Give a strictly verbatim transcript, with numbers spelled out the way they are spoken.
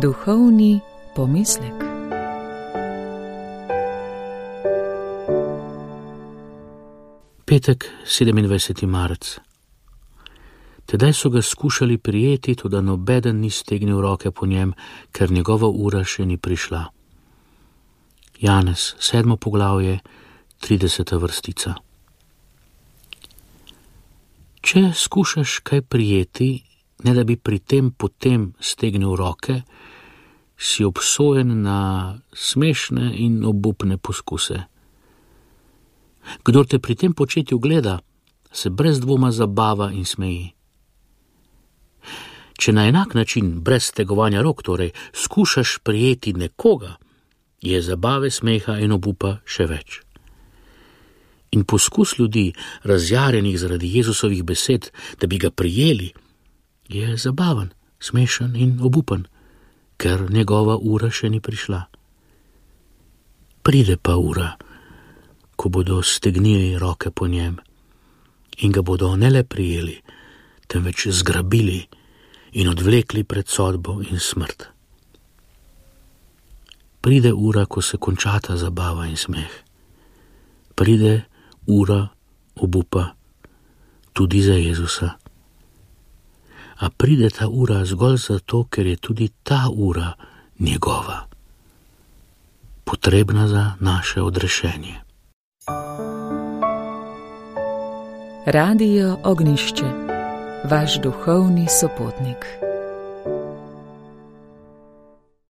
Duhovni pomislek. Petek, sedemindvajseti marec. Tedaj so ga skušali prijeti, toda nobeden ni stegnil roke po njem, ker njegova ura še ni prišla. Janez, sedmo poglavje, trideseta vrstica. Če skušaš kaj prijeti, ne da bi pri tem potem stegnil roke, si obsojen na smešne in obupne poskuse. Kdor te pri tem početju gleda, se brez dvoma zabava in smeji. Če na enak način, brez stegovanja rok, torej, skušaš prijeti nekoga, je zabave, smeha in obupa še več. In poskus ljudi, razjarjenih zaradi Jezusovih besed, da bi ga prijeli, je zabaven, smešen in obupen, ker njegova ura še ni prišla. Pride pa ura, ko bodo stegnili roke po njem in ga bodo ne le prijeli, temveč zgrabili in odvlekli pred sodbo in smrt. Pride ura, ko se končata zabava in smeh. Pride ura obupa tudi za Jezusa. A pride ta ura zgolj zato, ker je tudi ta ura njegova, potrebna za naše odrešenje. Radio Ognišče, vaš duhovni sopotnik.